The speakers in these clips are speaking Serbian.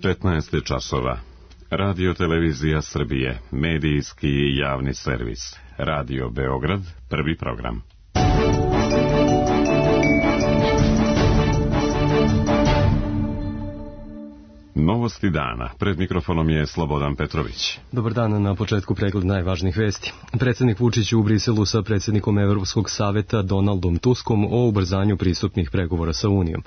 15 časova. Radio Televizija Srbije, medijski i javni servis. Radio Beograd, prvi program. Novosti dana. Pred mikrofonom je Slobodan Petrović. Dobar dan, na početku pregled najvažnijih vesti. Predsjednik Vučić u Briselu sa predsjednikom Evropskog saveta Donaldom Tuskom o ubrzanju pristupnih pregovora sa Unijom.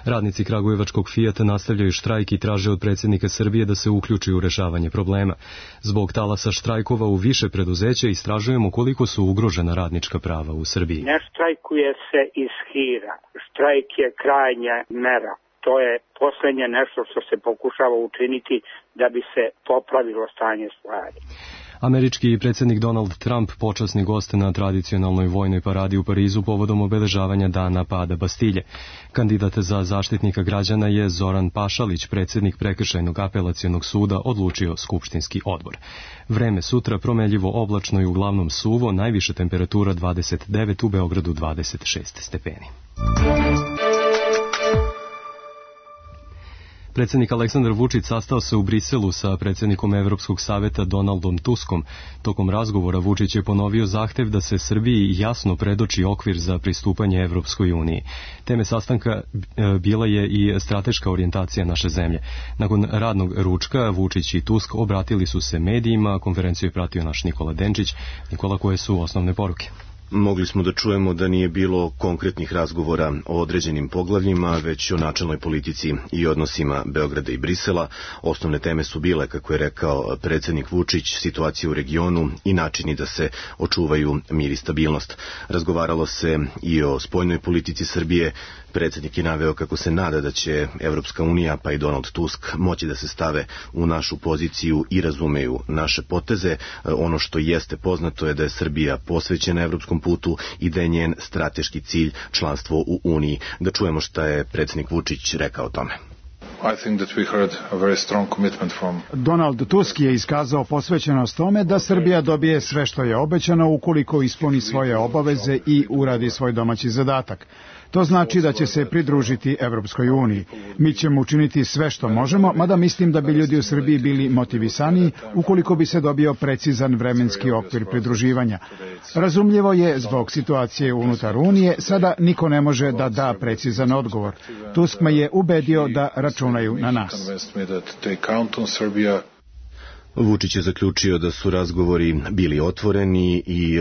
Radnici kragujevačkog Fijata nastavljaju štrajk i traže od predsjednika Srbije da se uključi u rešavanje problema. Zbog talasa štrajkova u više preduzeća istražujemo koliko su ugrožena radnička prava u Srbiji. Ne štrajkuje se iz hira. Štrajk je krajnja mera. To je poslednje nešto što se pokušava učiniti da bi se popravilo stanje stvari. Američki predsjednik Donald Trump počasni gost na tradicionalnoj vojnoj paradi u Parizu povodom obeležavanja dana pada Bastilje. Kandidat za zaštitnika građana je Zoran Pašalić, predsjednik Prekršajnog apelacionog suda, odlučio skupštinski odbor. Vreme sutra promenljivo oblačno i uglavnom suvo, najviša temperatura 29, u Beogradu 26 stepeni. Predsjednik Aleksandar Vučić sastao se u Briselu sa predsjednikom Evropskog saveta Donaldom Tuskom. Tokom razgovora Vučić je ponovio zahtev da se Srbiji jasno predoči okvir za pristupanje Evropskoj uniji. Teme sastanka bila je i strateška orijentacija naše zemlje. Nakon radnog ručka Vučić i Tusk obratili su se medijima, konferenciju je pratio naš Nikola Denčić. Nikola, koje su osnovne poruke? Mogli smo da čujemo da nije bilo konkretnih razgovora o određenim poglavljima, već o načelnoj politici i odnosima Beograda i Brisela. Osnovne teme su bile, kako je rekao predsjednik Vučić, situacija u regionu i načini da se očuvaju mir i stabilnost. Razgovaralo se i o spoljnoj politici Srbije. Predsjednik je naveo kako se nada da će Evropska unija pa i Donald Tusk moći da se stave u našu poziciju i razumeju naše poteze. Ono što jeste poznato je da je Srbija posvećena evropskom putu i da je njen strateški cilj članstvo u Uniji. Da čujemo šta je predsjednik Vučić rekao o tome. Donald Tusk je iskazao posvećenost tome da Srbija dobije sve što je obećano ukoliko ispuni svoje obaveze i uradi svoj domaći zadatak. To znači da će se pridružiti Evropskoj uniji. Mi ćemo učiniti sve što možemo, mada mislim da bi ljudi u Srbiji bili motivisaniji ukoliko bi se dobio precizan vremenski okvir pridruživanja. Razumljivo je, zbog situacije unutar Unije, sada niko ne može da da precizan odgovor. Tusk me je ubedio da računaju na nas. Vučić je zaključio da su razgovori bili otvoreni i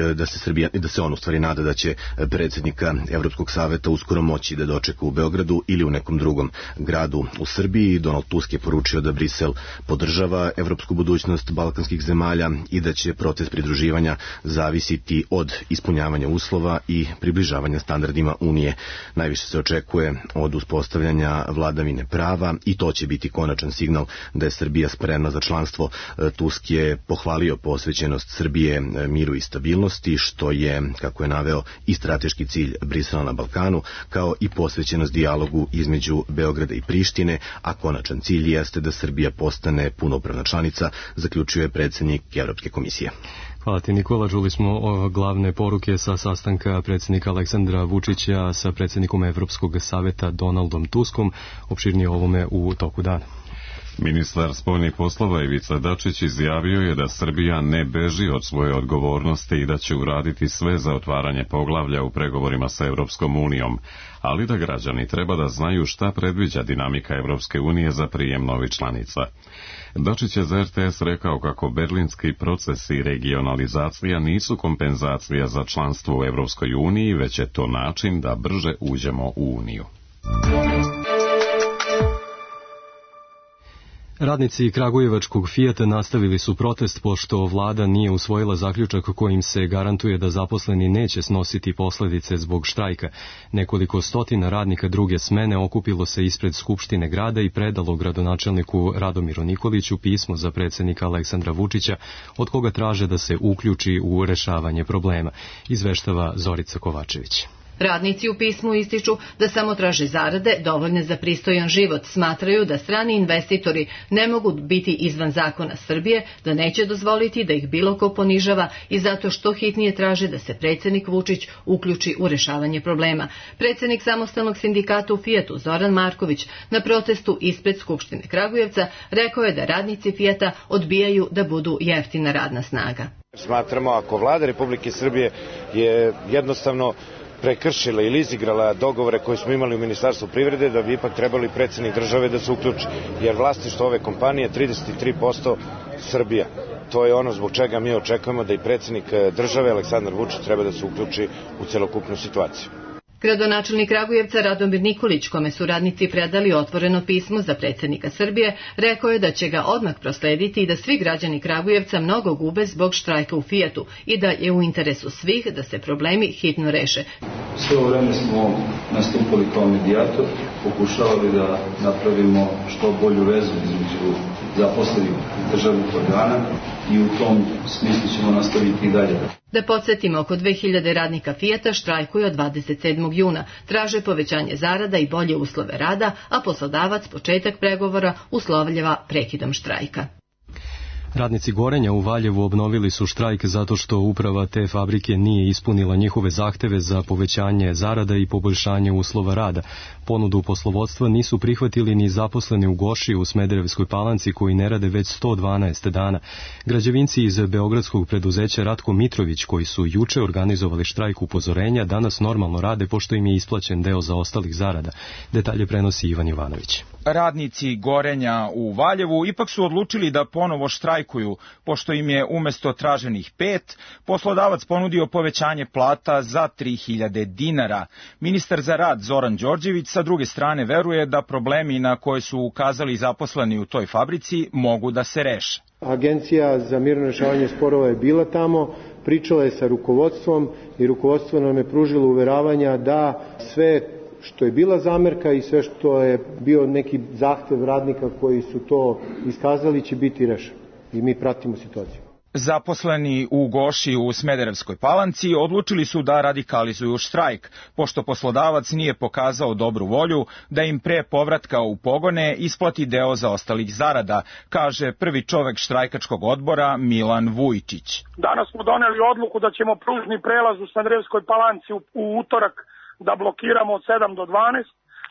da se on u stvari nada da će predsjednika Evropskog saveta uskoro moći da dočeka u Beogradu ili u nekom drugom gradu u Srbiji. Donald Tusk je poručio da Brisel podržava evropsku budućnost balkanskih zemalja i da će proces pridruživanja zavisiti od ispunjavanja uslova i približavanja standardima Unije. Najviše se očekuje od uspostavljanja vladavine prava i to će biti konačan signal da je Srbija spremna za članstvo. Tusk je pohvalio posvećenost Srbije miru i stabilnosti, što je, kako je naveo, i strateški cilj Brisela na Balkanu, kao i posvećenost dijalogu između Beograda i Prištine, a konačan cilj jeste da Srbija postane punopravna članica, zaključio je predsjednik Evropske komisije. Hvala ti, Nikola. Čuli smo glavne poruke sa sastanka predsjednika Aleksandra Vučića sa predsjednikom Evropskog saveta Donaldom Tuskom. Opširnije o ovome u toku dana. Ministar spoljnih poslova Ivica Dačić izjavio je da Srbija ne beži od svoje odgovornosti i da će uraditi sve za otvaranje poglavlja u pregovorima sa Evropskom unijom, ali da građani treba da znaju šta predviđa dinamika Evropske unije za prijem novih članica. Dačić je za RTS rekao kako berlinski proces i regionalizacija nisu kompenzacija za članstvo u Evropskoj uniji, već je to način da brže uđemo u Uniju. Radnici kragujevačkog Fijata nastavili su protest pošto vlada nije usvojila zaključak kojim se garantuje da zaposleni neće snositi posljedice zbog štrajka. Nekoliko stotina radnika druge smene okupilo se ispred Skupštine grada i predalo gradonačelniku Radomiru Nikoliću pismo za predsjednika Aleksandra Vučića, od koga traže da se uključi u rešavanje problema, izveštava Zorica Kovačević. Radnici u pismu ističu da samo traže zarade dovoljne za pristojan život, smatraju da strani investitori ne mogu biti izvan zakona Srbije, da neće dozvoliti da ih bilo ko ponižava i zato što hitnije traže da se predsjednik Vučić uključi u rešavanje problema. Predsjednik samostalnog sindikata u Fijatu Zoran Marković na protestu ispred Skupštine Kragujevca rekao je da radnici Fijata odbijaju da budu jeftina radna snaga. Smatramo ako vlada Republike Srbije je jednostavno prekršila ili izigrala dogovore koje smo imali u Ministarstvu privrede, da bi ipak trebali predsjednik države da se uključi. Jer vlasništvo ove kompanije 33% Srbija. To je ono zbog čega mi očekujemo da i predsjednik države Aleksandar Vučić treba da se uključi u celokupnu situaciju. Gradonačelnik Kragujevca Radomir Nikolić, kome su radnici predali otvoreno pismo za predsjednika Srbije, rekao je da će ga odmah proslediti i da svi građani Kragujevca mnogo gube zbog štrajka u Fijatu i da je u interesu svih da se problemi hitno reše. Sve ovo vreme smo nastupali kao medijator, pokušavali da napravimo što bolju vezu između zaposlenih državnih organa i u tom smislu ćemo nastaviti i dalje. Da podsjetimo, oko 2000 radnika Fijata štrajkuju od 27. juna, traže povećanje zarada i bolje uslove rada, a poslodavac početak pregovora uslovljava prekidom štrajka. Radnici Gorenja u Valjevu obnovili su štrajk zato što uprava te fabrike nije ispunila njihove zahteve za povećanje zarada i poboljšanje uslova rada. Ponudu poslovodstva nisu prihvatili ni zaposleni u Goši u Smederevskoj Palanci koji ne rade već 112 dana. Građevinci iz beogradskog preduzeća Ratko Mitrović koji su juče organizovali štrajk upozorenja danas normalno rade pošto im je isplaćen deo zaostalih zarada. Detalje prenosi Ivan Jovanović. Radnici Gorenja u Valjevu ipak su odlučili da ponovo štrajkuju, pošto im je umesto traženih 5, poslodavac ponudio povećanje plata za 3000 dinara. Ministar za rad Zoran Đorđević sa druge strane veruje da problemi na koje su ukazali zaposleni u toj fabrici mogu da se reše. Agencija za mirno rešavanje sporova je bila tamo, pričala je sa rukovodstvom i rukovodstvo nam je pružilo uveravanja da sve što je bila zamerka i sve što je bio neki zahtev radnika koji su to iskazali će biti rešeno. I mi pratimo situaciju. Zaposleni u Goši u Smederevskoj Palanci odlučili su da radikalizuju štrajk, pošto poslodavac nije pokazao dobru volju da im pre povratka u pogone isplati deo zaostalih zarada, kaže prvi čovek štrajkačkog odbora Milan Vujčić. Danas smo doneli odluku da ćemo pružni prelaz u Smederevskoj Palanci u utorak da blokiramo od 7 do 12,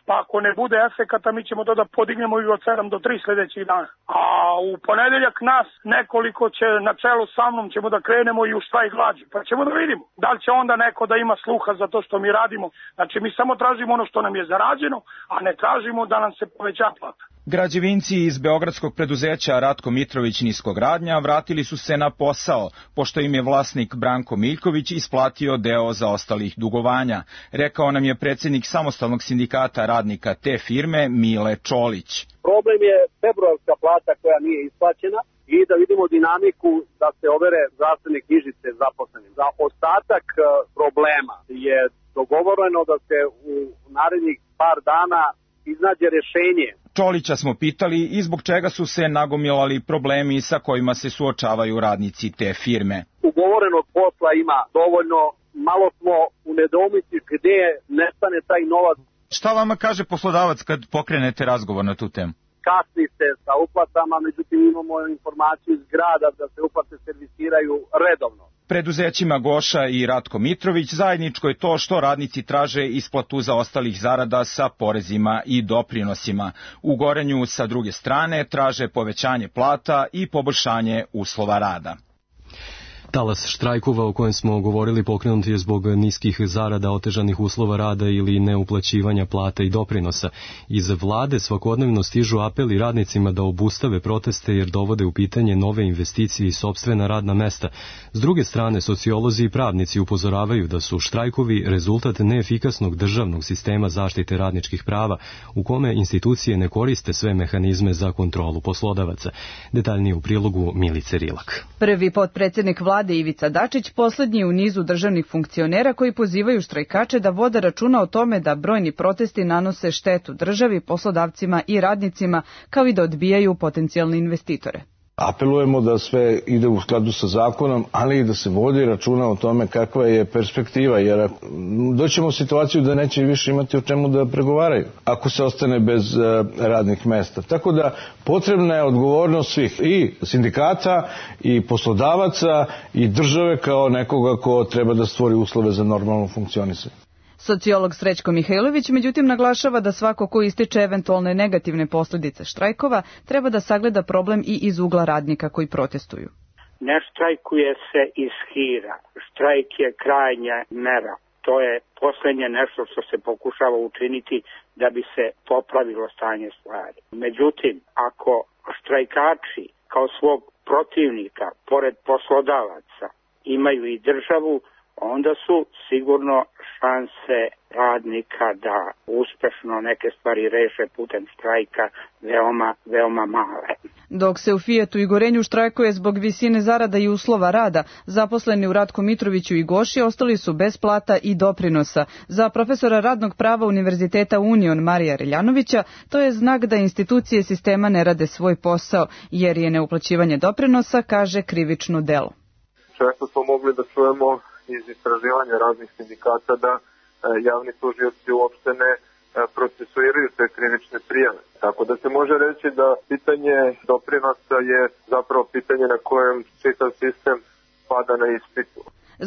pa ako ne bude efekata mi ćemo da podignemo i od 7 do 3 sljedećih dana. A u ponedeljak nas nekoliko će na čelu sa mnom ćemo da krenemo i u štrajk glađu, pa ćemo da vidimo da li će onda neko da ima sluha za to što mi radimo. Znači mi samo tražimo ono što nam je zarađeno, a ne tražimo da nam se poveća plata. Građevinci iz beogradskog preduzeća Ratko Mitrović Niskogradnja vratili su se na posao, pošto im je vlasnik Branko Miljković isplatio deo zaostalih dugovanja. Rekao nam je predsjednik samostalnog sindikata radnika te firme Mile Čolić. Problem je februarska plata koja nije isplaćena i da vidimo dinamiku da se overe zdravstvene knjižice zaposlenim. Za ostatak problema je dogovoreno da se u narednih par dana iznađe rešenje. Čolića smo pitali i zbog čega su se nagomilali problemi sa kojima se suočavaju radnici te firme. Ugovorenog posla ima dovoljno, malo smo u nedoumici gde nestane taj novac. Šta vama kaže poslodavac kad pokrenete razgovor na tu temu? Kasni se sa uplatama, međutim imamo informaciju iz grada da se uplate servisiraju redovno. Preduzećima Goša i Ratko Mitrović zajedničko je to što radnici traže isplatu zaostalih zarada sa porezima i doprinosima. U Gorenju sa druge strane traže povećanje plata i poboljšanje uslova rada. Talas štrajkova o kojem smo govorili pokrenut je zbog niskih zarada, otežanih uslova rada ili neuplaćivanja plata i doprinosa. Iz vlade svakodnevno stižu apeli radnicima da obustave proteste jer dovode u pitanje nove investicije i sopstvena radna mesta. S druge strane, sociolozi i pravnici upozoravaju da su štrajkovi rezultat neefikasnog državnog sistema zaštite radničkih prava, u kome institucije ne koriste sve mehanizme za kontrolu poslodavaca. Detaljnije u prilogu Milice Rilak. Prvi potpredsjednik vlade Ivica Dačić poslednji u nizu državnih funkcionera koji pozivaju štrajkače da vode računa o tome da brojni protesti nanose štetu državi, poslodavcima i radnicima, kao i da odbijaju potencijalne investitore. Apelujemo da sve ide u skladu sa zakonom, ali i da se vodi računa o tome kakva je perspektiva, jer doćemo u situaciju da neće više imati o čemu da pregovaraju ako se ostane bez radnih mesta. Tako da potrebna je odgovornost svih, i sindikata, i poslodavaca, i države kao nekoga ko treba da stvori uslove za normalno funkcionisanje. Sociolog Srećko Mihajlović međutim naglašava da svako ko ističe eventualne negativne posljedice štrajkova treba da sagleda problem i iz ugla radnika koji protestuju. Ne štrajkuje se iz hira. Štrajk je krajnja mera. To je poslednje nešto što se pokušava učiniti da bi se popravilo stanje stvari. Međutim, ako štrajkači kao svog protivnika, pored poslodavaca, imaju i državu, onda su sigurno šanse radnika da uspešno neke stvari reše putem štrajka veoma male. Dok se u Fijatu i Gorenju štrajkuje zbog visine zarada i uslova rada, zaposleni u Ratku Mitroviću i Goši ostali su bez plata i doprinosa. Za profesora radnog prava Univerziteta Union Marija Reljanovića to je znak da institucije sistema ne rade svoj posao, jer je neuplaćivanje doprinosa, kaže, krivično delo. Često smo mogli da čujemo iz istraživanja raznih sindikata da javni tužioci uopšte ne procesuiraju te krivične prijave. Tako da se može reći da pitanje doprinosa je zapravo pitanje na kojem čitav sistem pada na ispitu.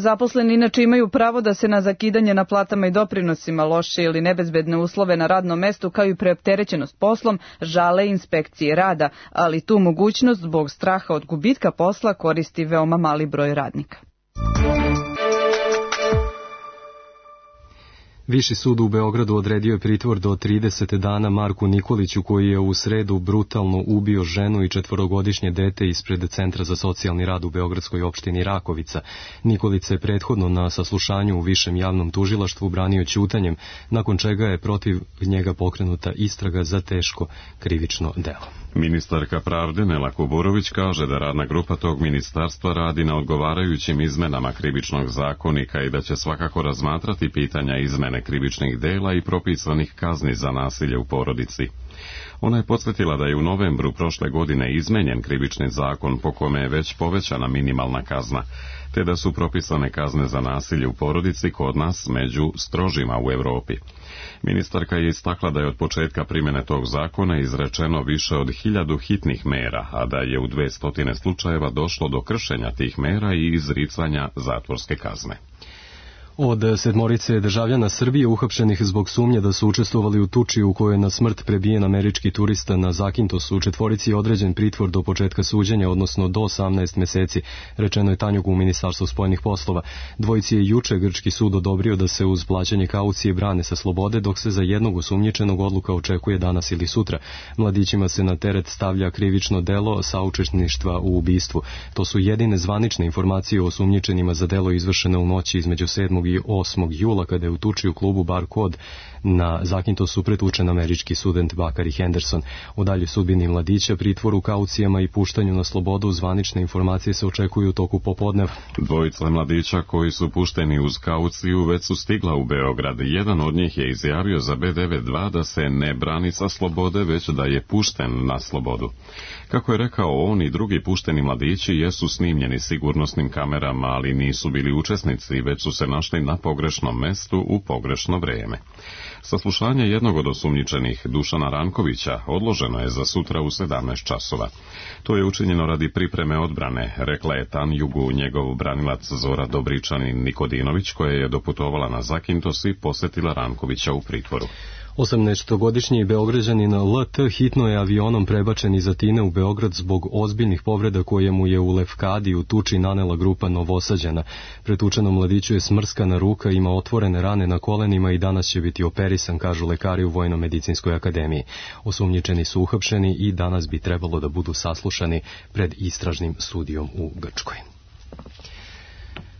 Zaposleni inače imaju pravo da se na zakidanje na platama i doprinosima, loše ili nebezbedne uslove na radnom mestu kao i preopterećenost poslom žale inspekcije rada, ali tu mogućnost zbog straha od gubitka posla koristi veoma mali broj radnika. Viši sud u Beogradu odredio je pritvor do 30 dana Marku Nikoliću, koji je u sredu brutalno ubio ženu i 4-godišnje dete ispred Centra za socijalni rad u beogradskoj opštini Rakovica. Nikolić se prethodno na saslušanju u Višem javnom tužilaštvu branio ćutanjem, nakon čega je protiv njega pokrenuta istraga za teško krivično delo. Ministarka pravde Nela Kuburović kaže da radna grupa tog ministarstva radi na odgovarajućim izmenama krivičnog zakonika i da će svakako razmatrati pitanja izmene krivičnih dela i propisanih kazni za nasilje u porodici. Ona je podsjetila da je u novembru prošle godine izmenjen krivični zakon po kome je već povećana minimalna kazna, te da su propisane kazne za nasilje u porodici kod nas među strožima u Evropi. Ministarka je istakla da je od početka primjene tog zakona izrečeno više od 1000 hitnih mera, a da je u 200 slučajeva došlo do kršenja tih mera i izricanja zatvorske kazne. Od 7 državljana Srbije uhapšenih zbog sumnje da su učestvovali u tuči u kojoj je na smrt prebijen američki turista na Zakintosu, 4 je određen pritvor do početka suđenja, odnosno do 18 meseci, rečeno je Tanjugu u Ministarstvu spoljnih poslova. 2 je juče grčki sud odobrio da se uz plaćanje kaucije brane sa slobode, dok se za jednog osumnjičenog odluka očekuje danas ili sutra. Mladićima se na teret stavlja krivično delo saučesništva u ubistvu. To su jedine zvanične informacije o osumnjičenima za delo izvršene u noći između 7. i 8. jula, kada je u tuči u klubu Bar Kod na Zakintosu pretučen američki student Bakari Henderson. U daljoj sudbini mladića, pritvoru, kaucijama i puštanju na slobodu zvanične informacije se očekuju u toku popodneva. 2 mladića koji su pušteni uz kauciju već su stigla u Beograd. Jedan od njih je izjavio za B92 da se ne brani sa slobode, već da je pušten na slobodu. Kako je rekao, on i drugi pušteni mladići jesu snimljeni sigurnosnim kamerama, ali nisu bili učesnici, već su se našli na pogrešnom mestu u pogrešno vreme. Saslušanje jednog od osumnjičenih, Dušana Rankovića, odloženo je za sutra u 17 časova. To je učinjeno radi pripreme odbrane, rekla je Tanjugu njegov branilac Zora Dobričanin Nikodinović, koja je doputovala na Zakintos i posjetila Rankovića u pritvoru. 18-godišnji Beograđanin LT hitno je avionom prebačen iz Atine u Beograd zbog ozbiljnih povreda koje mu je u Lefkadi u tuči nanela grupa Novosađana. Pretučenom mladiću je smrskana ruka, ima otvorene rane na kolenima i danas će biti operisan, kažu lekari u Vojno-medicinskoj akademiji. Osumnjičeni su uhapšeni i danas bi trebalo da budu saslušani pred istražnim sudijom u Grčkoj.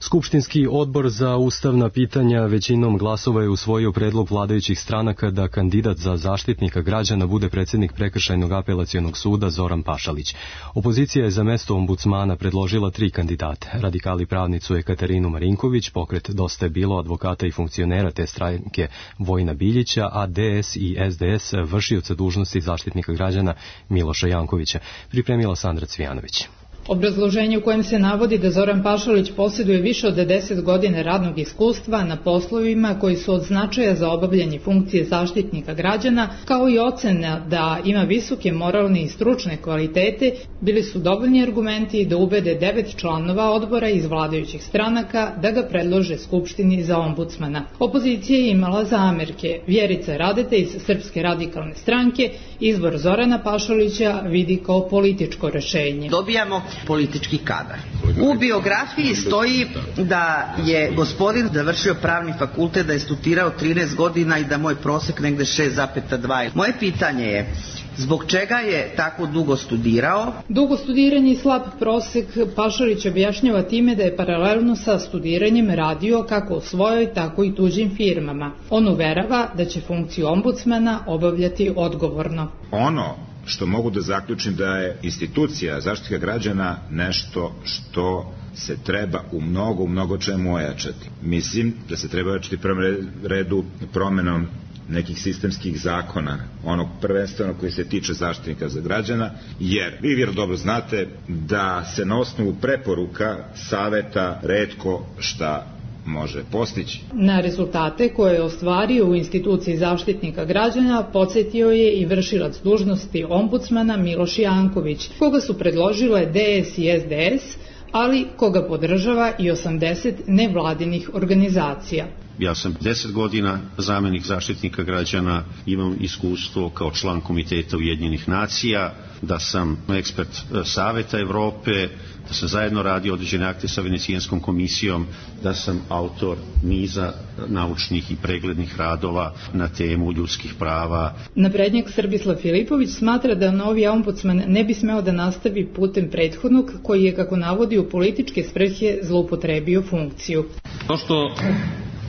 Skupštinski odbor za ustavna pitanja većinom glasova je usvojio predlog vladajućih stranaka da kandidat za zaštitnika građana bude predsjednik Prekršajnog apelacionog suda Zoran Pašalić. Opozicija je za mesto ombudsmana predložila 3 kandidate. Radikali pravnicu Ekaterinu Marinković, pokret Dosta je bilo advokata i funkcionera te stranke Vojina Biljića, a DS i SDS vršioca dužnosti zaštitnika građana Miloša Jankovića. Pripremila Sandra Cvijanović. Obrazloženje u kojem se navodi da Zoran Pašalić posjeduje više od 10 godina radnog iskustva na poslovima koji su od značaja za obavljanje funkcije zaštitnika građana, kao i ocena da ima visoke moralne i stručne kvalitete, bili su dovoljni argumenti da ubede 9 članova odbora iz vladajućih stranaka da ga predlože Skupštini za ombudsmana. Opozicija je imala zamerke. Vjerica Radeta iz Srpske radikalne stranke izbor Zorana Pašalića vidi kao političko rešenje. Dobijamo politički kadar. U biografiji stoji da je gospodin završio pravni fakultet, da je studirao 13 godina i da moj prosek negde 6,2. Moje pitanje je, zbog čega je tako dugo studirao? Dugo studiranje i slab prosek Pašalić objašnjava time da je paralelno sa studiranjem radio kako u svojoj, tako i tuđim firmama. On uverava da će funkciju ombudsmana obavljati odgovorno. Ono što mogu da zaključim da je institucija zaštita građana nešto što se treba u mnogo čemu ojačati. Mislim da se treba ojačati prvom redu promenom nekih sistemskih zakona, onog prvenstveno koji se tiče zaštitnika za građana, jer vi vjerojatno dobro znate da se na osnovu preporuka saveta retko šta može postići. Na rezultate koje je ostvario u instituciji zaštitnika građana podsjetio je i vršilac dužnosti ombudsmana Miloš Janković, koga su predložile DS i SDS, ali koga podržava i 80 nevladinih organizacija. Ja sam 10 godina zamjenik zaštitnika građana, imam iskustvo kao član Komiteta Ujedinjenih nacija, da sam ekspert Saveta Evrope, da sam zajedno radio određene akte sa Venecijanskom komisijom, da sam autor niza naučnih i preglednih radova na temu ljudskih prava. Naprednjak Srbislav Filipović smatra da novi ombudsman ne bi smeo da nastavi putem prethodnog, koji je, kako navodi, u političke svrhe zloupotrebio funkciju. To što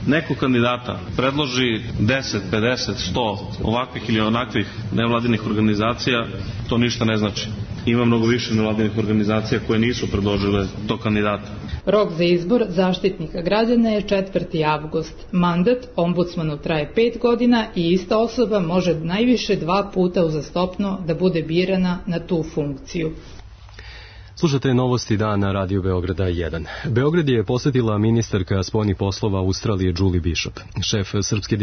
neko kandidata predloži 10, 50, 100 ovakvih ili onakvih nevladinih organizacija, to ništa ne znači. Ima mnogo više nevladinih organizacija koje nisu predložile tog kandidata. Rok za izbor zaštitnika građana je 4. avgust. Mandat ombudsmanu traje 5 godina i ista osoba može najviše 2 puta uzastopno da bude birana na tu funkciju. Slušate novosti dana Radio Beograda 1. Beograd je posjetila ministarka spoljnih poslova Australije Julie Bishop. Šef srpske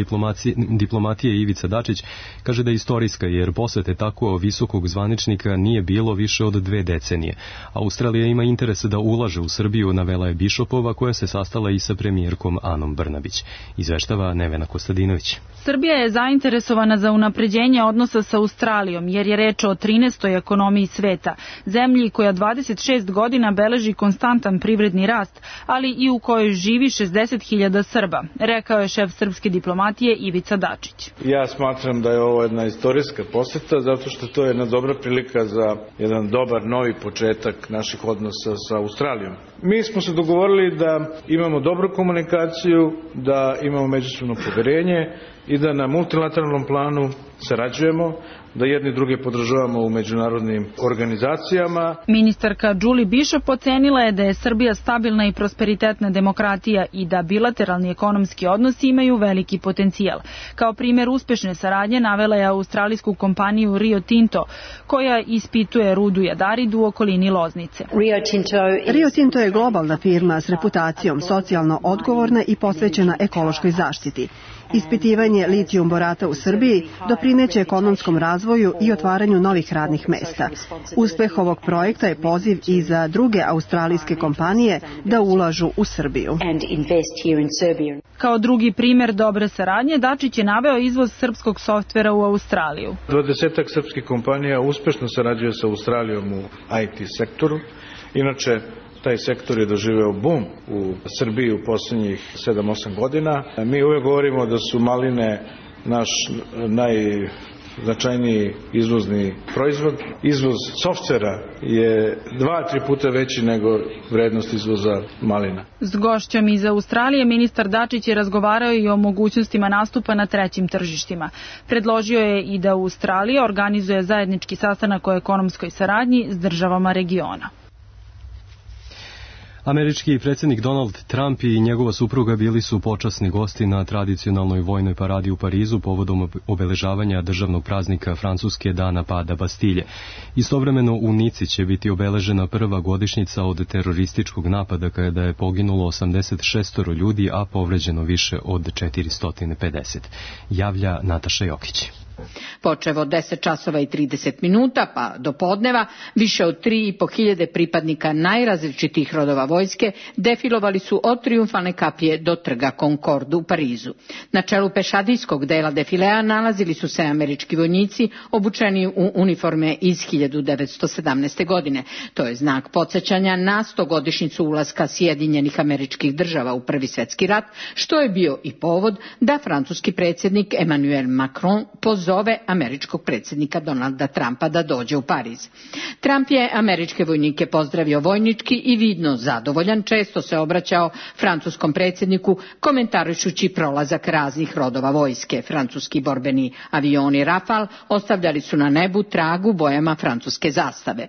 diplomatije Ivica Dačić kaže da je istorijska, jer posjete tako visokog zvaničnika nije bilo više od 2 decenije. Australija ima interes da ulaže u Srbiju, navela je Bishopova, koja se sastala i sa premijerkom Anom Brnabić. Izveštava Nevena Kostadinović. Srbija je zainteresovana za unapređenje odnosa sa Australijom, jer je reč o 13. ekonomiji sveta, zemlji koja 26 godina beleži konstantan privredni rast, ali i u kojoj živi 60.000 Srba, rekao je šef srpske diplomatije Ivica Dačić. Ja smatram da je ovo jedna istorijska poseta, zato što to je jedna dobra prilika za jedan dobar novi početak naših odnosa sa Australijom. Mi smo se dogovorili da imamo dobru komunikaciju, da imamo međusobno poverenje i da na multilateralnom planu sarađujemo, da jedni druge podržavamo u međunarodnim organizacijama. Ministarka Julie Bishop ocenila je da je Srbija stabilna i prosperitetna demokratija i da bilateralni ekonomski odnosi imaju veliki potencijal. Kao primjer uspešne saradnje navela je australijsku kompaniju Rio Tinto, koja ispituje rudu jadaridu u okolini Loznice. Rio Tinto je globalna firma s reputacijom, socijalno odgovorna i posvećena ekološkoj zaštiti. Ispitivanje litijum borata u Srbiji doprineće ekonomskom razvoju i otvaranju novih radnih mesta. Uspeh ovog projekta je poziv i za druge australijske kompanije da ulažu u Srbiju. Kao drugi primjer dobre saradnje, Dačić je naveo izvoz srpskog softvera u Australiju. 20 srpskih kompanija uspešno sarađuje sa Australijom u IT sektoru. Inače, taj sektor je doživeo bum u Srbiji u posljednjih 7-8 godina. Mi uvijek govorimo da su maline naš značajniji izvozni proizvod. Izvoz softvera je 2-3 puta veći nego vrednost izvoza malina. S gošćom iz Australije ministar Dačić je razgovarao i o mogućnostima nastupa na trećim tržištima. Predložio je i da Australija organizuje zajednički sastanak o ekonomskoj saradnji s državama regiona. Američki predsjednik Donald Trump i njegova supruga bili su počasni gosti na tradicionalnoj vojnoj paradi u Parizu povodom obeležavanja državnog praznika Francuske dana pada Bastilje. Istovremeno u Nici će biti obeležena prva godišnjica od terorističkog napada kada je poginulo 86 ljudi, a povređeno više od 450. Javlja Nataša Jokić. Počev od 10 časova i 30 minuta pa do podneva, više od 3.500 pripadnika najrazličitih rodova vojske defilovali su od Trijumfalne kapije do trga Concorde u Parizu. Na čelu pešadijskog dela defilea nalazili su se američki vojnici obučeni u uniforme iz 1917. godine. To je znak podsjećanja na 100-godišnjicu ulaska Sjedinjenih Američkih Država u Prvi svjetski rat, što je bio i povod da francuski predsjednik Emmanuel Macron pozove američkog predsjednika Donalda Trumpa da dođe u Pariz. Trump je američke vojnike pozdravio vojnički i vidno zadovoljan, često se obraćao francuskom predsjedniku komentarišući prolazak raznih rodova vojske. Francuski borbeni avioni Rafale ostavljali su na nebu trag u bojama francuske zastave.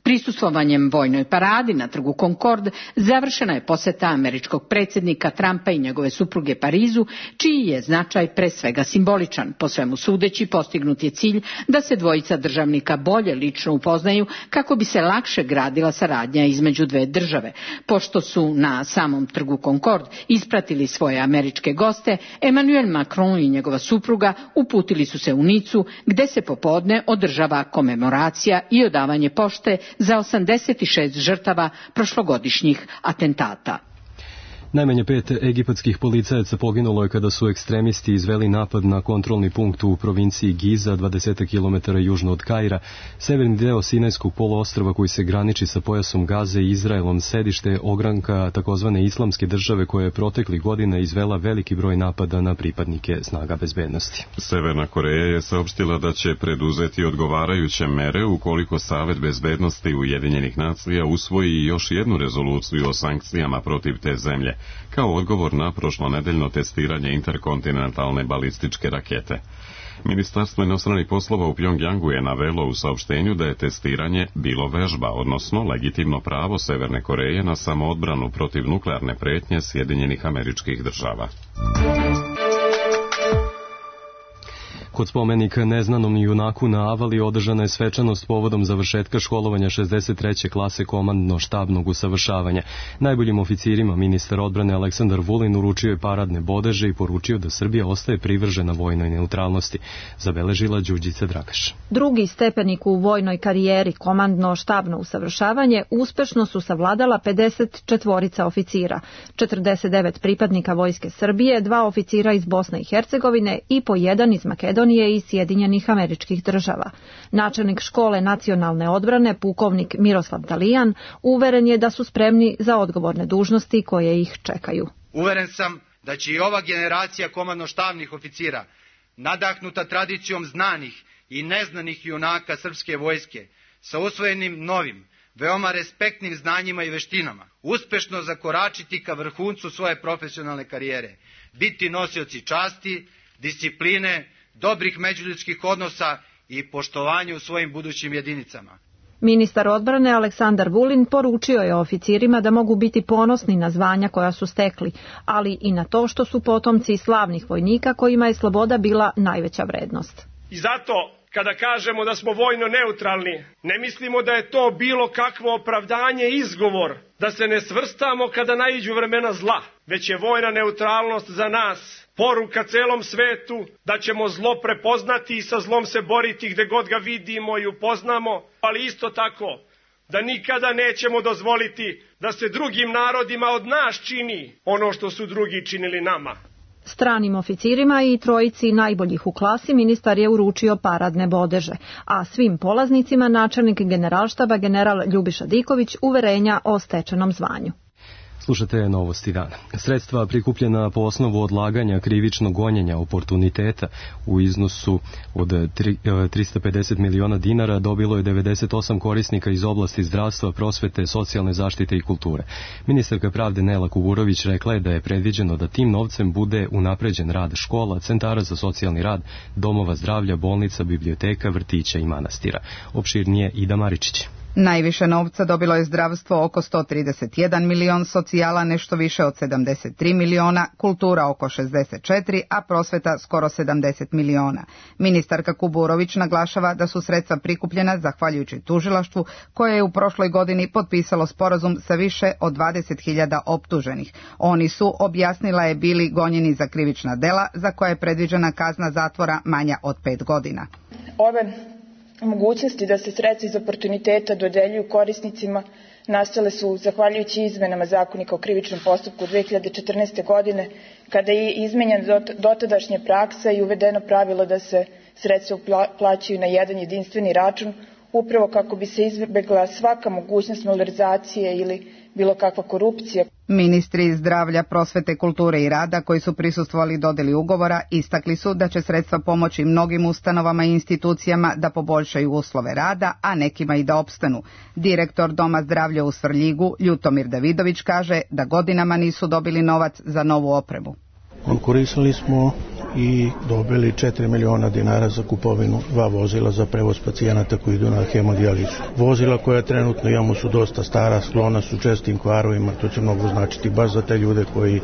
Prisustvovanjem vojnoj paradi na trgu Concorde završena je posjeta američkog predsjednika Trumpa i njegove supruge Parizu, čiji je značaj pre svega simboličan. Po svemu sudeći postignut je cilj da se dvojica državnika bolje lično upoznaju kako bi se lakše gradila saradnja između dve države. Pošto su na samom trgu Concorde ispratili svoje američke goste, Emmanuel Macron i njegova supruga uputili su se u Nicu, gde se popodne održava komemoracija i odavanje pošte za 86 žrtava prošlogodišnjih atentata. Najmanje 5 egipatskih policajaca poginulo je kada su ekstremisti izveli napad na kontrolni punkt u provinciji Giza, 20 km južno od Kaira. Severni deo Sinajskog poluostrva koji se graniči sa pojasom Gaze i Izraelom sedište ogranka takozvane islamske države koja je proteklih godina izvela veliki broj napada na pripadnike snaga bezbednosti. Severna Koreja je saopštila da će preduzeti odgovarajuće mere ukoliko Savet bezbednosti Ujedinjenih nacija usvoji još jednu rezoluciju o sankcijama protiv te zemlje, kao odgovor na prošlonedeljno testiranje interkontinentalne balističke rakete. Ministarstvo inostranih poslova u Pjongjangu je navelo u saopštenju da je testiranje bilo vežba, odnosno legitimno pravo Severne Koreje na samoodbranu protiv nuklearne pretnje Sjedinjenih Američkih Država. Kod spomenika neznanom junaku na Avali održana je svečanost povodom završetka školovanja 63. klase komandno-štabnog usavršavanja. Najboljim oficirima ministar odbrane Aleksandar Vulin uručio je paradne bodeže i poručio da Srbija ostaje privržena vojnoj neutralnosti, zabeležila Đurđica Dragaš. Drugi stepenik u vojnoj karijeri komandno-štabno usavršavanje uspešno su savladala 54 oficira, 49 pripadnika Vojske Srbije, 2 oficira iz Bosne i Hercegovine i po 1 iz Makedonije i Sjedinjenih Američkih Država. Načelnik škole nacionalne odbrane, pukovnik Miroslav Talijan, uveren je da su spremni za odgovorne dužnosti koje ih čekaju. Uveren sam da će i ova generacija komandno-štabnih oficira, nadahnuta tradicijom znanih i neznanih junaka srpske vojske, sa usvojenim novim, veoma respektnim znanjima i veštinama, uspešno zakoračiti ka vrhuncu svoje profesionalne karijere, biti nosioci časti, discipline, dobrih međuljudskih odnosa i poštovanja u svojim budućim jedinicama. Ministar odbrane Aleksandar Vulin poručio je oficirima da mogu biti ponosni na zvanja koja su stekli, ali i na to što su potomci slavnih vojnika kojima je sloboda bila najveća vrednost. I zato, kada kažemo da smo vojno neutralni, ne mislimo da je to bilo kakvo opravdanje i izgovor da se ne svrstamo kada naiđu vremena zla, već je vojna neutralnost za nas poruka celom svetu da ćemo zlo prepoznati i sa zlom se boriti gde god ga vidimo i upoznamo, ali isto tako da nikada nećemo dozvoliti da se drugim narodima od nas čini ono što su drugi činili nama. Stranim oficirima i trojici najboljih u klasi ministar je uručio paradne bodeže, a svim polaznicima načelnik generalštaba general Ljubiša Diković uverenja o stečenom zvanju. Slušate Novosti dana. Sredstva prikupljena po osnovu odlaganja krivičnog gonjenja oportuniteta u iznosu od 350 miliona dinara dobilo je 98 korisnika iz oblasti zdravstva, prosvete, socijalne zaštite i kulture. Ministarka pravde Nela Kuburović rekla je da je predviđeno da tim novcem bude unapređen rad škola, centara za socijalni rad, domova zdravlja, bolnica, biblioteka, vrtića i manastira. Opširnije Ida Maričić. Najviše novca dobilo je zdravstvo oko 131 milion, socijala nešto više od 73 miliona, kultura oko 64, a prosveta skoro 70 miliona. Ministarka Kuburović naglašava da su sredstva prikupljena zahvaljujući tužilaštvu koje je u prošloj godini potpisalo sporazum sa više od 20.000 optuženih. Oni su, objasnila je, bili gonjeni za krivična dela za koja je predviđena kazna zatvora manja od 5 godina. Ove mogućnosti da se sredstva iz oportuniteta dodeljuju korisnicima nastale su zahvaljujući izmenama Zakonika o krivičnom postupku 2014. godine, kada je izmenjena dotadašnja praksa i uvedeno pravilo da se sredstva plaćaju na jedan jedinstveni račun, upravo kako bi se izbjegla svaka mogućnost malverzacije ili bilo kakva korupcija. Ministri zdravlja, prosvete, kulture i rada koji su prisustvovali dodeli ugovora istakli su da će sredstva pomoći mnogim ustanovama i institucijama da poboljšaju uslove rada, a nekima i da opstanu. Direktor Doma zdravlja u Svrljigu, Ljutomir Davidović, kaže da godinama nisu dobili novac za novu opremu. Konkurisali smo i dobili 4 miliona dinara za kupovinu 2 vozila za prevoz pacijenata koji idu na hemodijalizu. Vozila koja trenutno imamo su dosta stara, sklona su čestim kvarovima, to će mnogo značiti baš za te ljude koji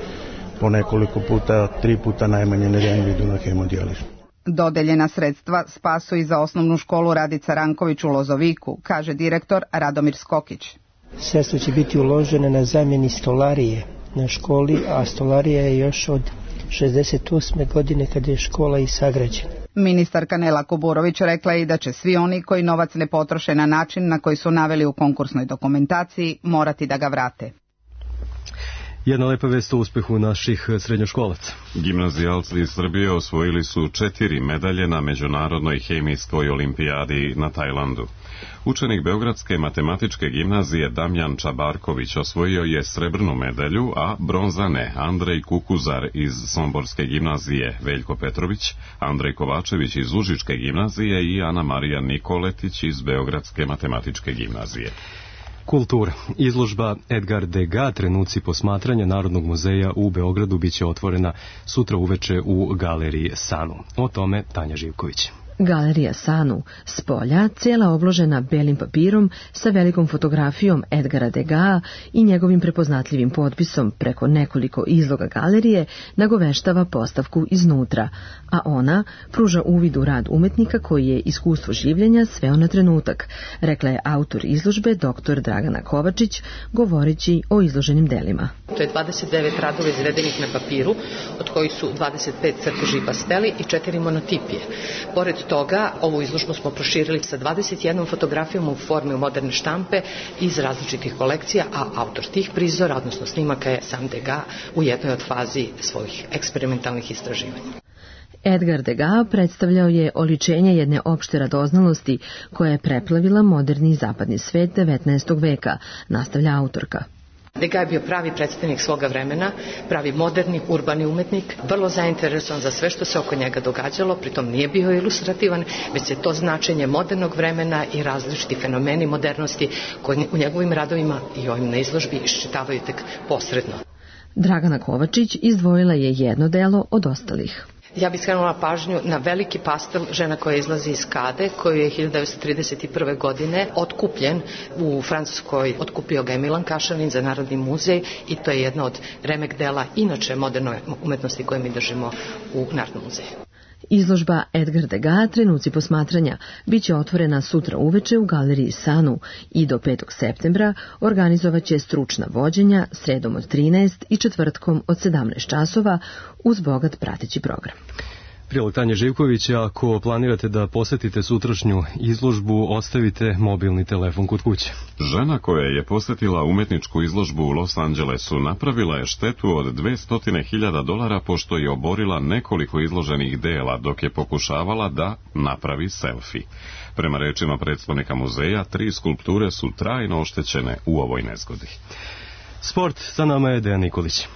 po nekoliko puta, 3 puta najmanje nedeljno idu na hemodijalizu. Dodeljena sredstva spasu i za osnovnu školu Radica Ranković u Lozoviku, kaže direktor Radomir Skokić. Sredstva će biti uložene na zamjeni stolarije na školi, a stolarija je još od 68. godine kada je škola i sagrađena. Ministarka Nela Kuburović rekla je i da će svi oni koji novac ne potroše na način na koji su naveli u konkursnoj dokumentaciji morati da ga vrate. Jedna lepa vest o uspehu naših srednjoškolaca. Gimnazijalci iz Srbije osvojili su 4 medalje na Međunarodnoj hemijskoj olimpijadi na Tajlandu. Učenik Beogradske matematičke gimnazije Damjan Čabarković osvojio je srebrnu medalju, a bronzane Andrej Kukuzar iz Somborske gimnazije, Veljko Petrović, Andrej Kovačević iz Užičke gimnazije i Ana Marija Nikoletić iz Beogradske matematičke gimnazije. Kultura. Izložba Edgar Degas, trenuci posmatranja Narodnog muzeja u Beogradu, biće otvorena sutra uveče u galeriji Sanu. O tome Tanja Živković. Galerija Sanu, s polja, cijela obložena belim papirom sa velikom fotografijom Edgara Degas i njegovim prepoznatljivim potpisom preko nekoliko izloga galerije, nagoveštava postavku iznutra, a ona pruža uvid u rad umetnika koji je iskustvo življenja sveo na trenutak, rekla je autor izložbe dr. Dragana Kovačić, govoreći o izloženim delima. To je 29 radova izvedenih na papiru, od kojih su 25 crteži i pasteli i 4 monotipije. Pored toga, ovu izložbu smo proširili sa 21 fotografijom u formi moderne štampe iz različitih kolekcija, a autor tih prizora, odnosno snimaka, je sam Degas u jednoj od fazi svojih eksperimentalnih istraživanja. Edgar Degas predstavljao je oličenje jedne opšte radoznalosti koja je preplavila moderni i zapadni svet 19. veka, nastavlja autorka. Degas je bio pravi predstavnik svoga vremena, pravi moderni, urbani umetnik, vrlo zainteresovan za sve što se oko njega događalo, pritom nije bio ilustrativan, već se to značenje modernog vremena i različiti fenomeni modernosti koji u njegovim radovima i ovim na izložbi iščitavaju tek posredno. Dragana Kovačić izdvojila je jedno delo od ostalih. Ja bih skrenula pažnju na veliki pastel Žena koja izlazi iz kade, koji je 1931. godine otkupljen u Francuskoj. Otkupio ga je Milan Kašanin za Narodni muzej i to je jedna od remek dela inače moderne umetnosti koje mi držimo u Narodnom muzeju. Izložba Edgar Degas, trenuci posmatranja, biće otvorena sutra uveče u galeriji Sanu i do 5. septembra organizovaće stručna vođenja sredom od 13 i četvrtkom od 17 časova uz bogat prateći program. Prilog Tanje Živković, ako planirate da posetite sutrašnju izložbu, ostavite mobilni telefon kod kuće. Žena koja je posetila umetničku izložbu u Los Angelesu napravila je štetu od $200.000 pošto je oborila nekoliko izloženih dela dok je pokušavala da napravi selfie. Prema rečima predstavnika muzeja, 3 skulpture su trajno oštećene u ovoj nezgodi. Sport, sa nama je Dejan Nikolić.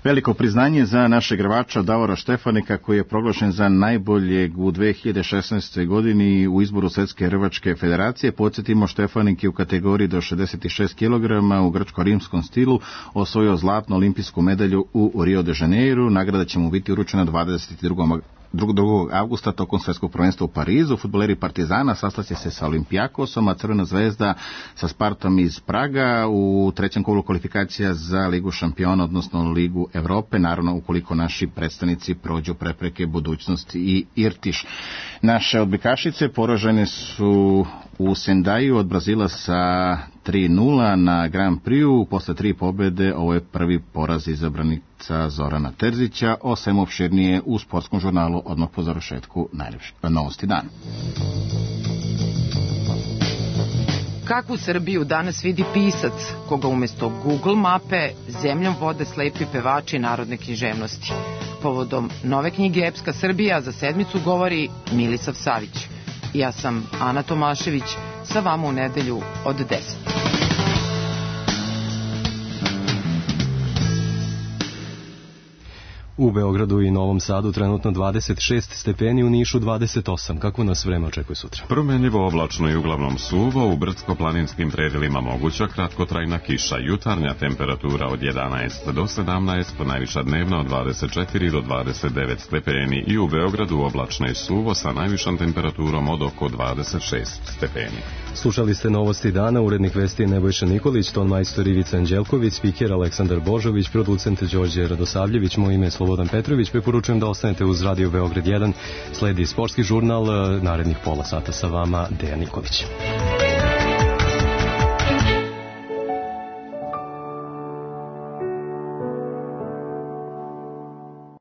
Veliko priznanje za našeg igrača Davora Štefanika, koji je proglašen za najboljeg u 2016. godini u izboru Svetske rvačke federacije. Podsjetimo, Štefanik je u kategoriji do 66 kg u grčko-rimskom stilu osvojio zlatnu olimpijsku medalju u Rio de Janeiro. Nagrada će mu biti uručena 2. avgusta tokom svetskog prvenstva u Parizu. Fudbaleri Partizana sastaće se sa Olimpijakosom, a Crvena zvezda sa Spartom iz Praga u trećem kolu kvalifikacija za Ligu šampiona, odnosno Ligu Evrope, naravno ukoliko naši predstavnici prođu prepreke Budućnosti i Irtiš. Naše odbojkašice poražene su u Sendaju od Brazila sa 3-0 na Grand Prix-u. Posle 3 pobede ovo je prvi poraz izabranica Zorana Terzića. O svemu opširnije u sportskom žurnalu odmah po završetku novosti dana. Kakvu Srbiju danas vidi pisac, koga umjesto Google mape zemljom vode slepi pevači narodne književnosti? Povodom nove knjige Epska Srbija za sedmicu govori Milisav Savić. Ja sam Ana Tomašević, sa vama u nedelju od 10. U Beogradu i Novom Sadu trenutno 26 stepeni, u Nišu 28. Kako nas vreme očekuje sutra? Promenljivo, oblačno i uglavnom suvo, u brdsko-planinskim predelima moguća kratkotrajna kiša, jutarnja temperatura od 11 do 17, najviša dnevna od 24 do 29 stepeni i u Beogradu oblačno i suvo sa najvišom temperaturom od oko 26 stepeni. Slušali ste novosti dana, urednik vesti je Nebojša Nikolić, ton majstor Ivica Anđelković, spiker Aleksandar Božović, producent Đorđe Radosavljević, moj ime je Slobodan Petrović. Preporučujem da ostanete uz Radio Beograd 1. Sledi sportski žurnal, narednih pola sata sa vama Dejan Nikolić.